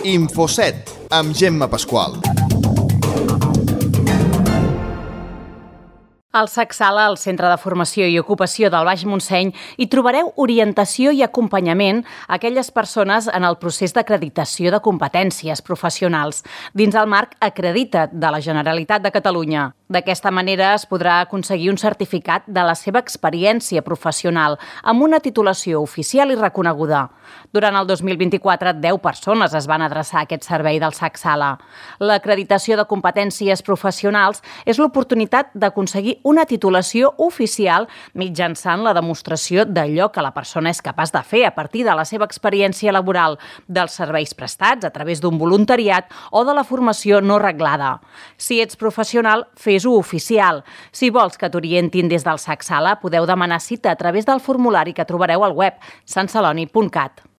Infoset, amb Gemma Pasqual. Al SAC-Sala, al Centre de Formació i Ocupació del Baix Montseny, hi trobareu orientació i acompanyament a aquelles persones en el procés d'acreditació de competències professionals dins el marc Acredita't de la Generalitat de Catalunya. D'aquesta manera es podrà aconseguir un certificat de la seva experiència professional amb una titulació oficial i reconeguda. Durant el 2024, 10 persones es van adreçar a aquest servei del SAC-Sala. L'acreditació de competències professionals és l'oportunitat d'aconseguir una titulació oficial mitjançant la demostració d'allò que la persona és capaç de fer a partir de la seva experiència laboral, dels serveis prestats a través d'un voluntariat o de la formació no reglada. Si ets professional, fes-ho oficial. Si vols que t'orientin des del SAC-Sala, podeu demanar cita a través del formulari que trobareu al web santceloni.cat.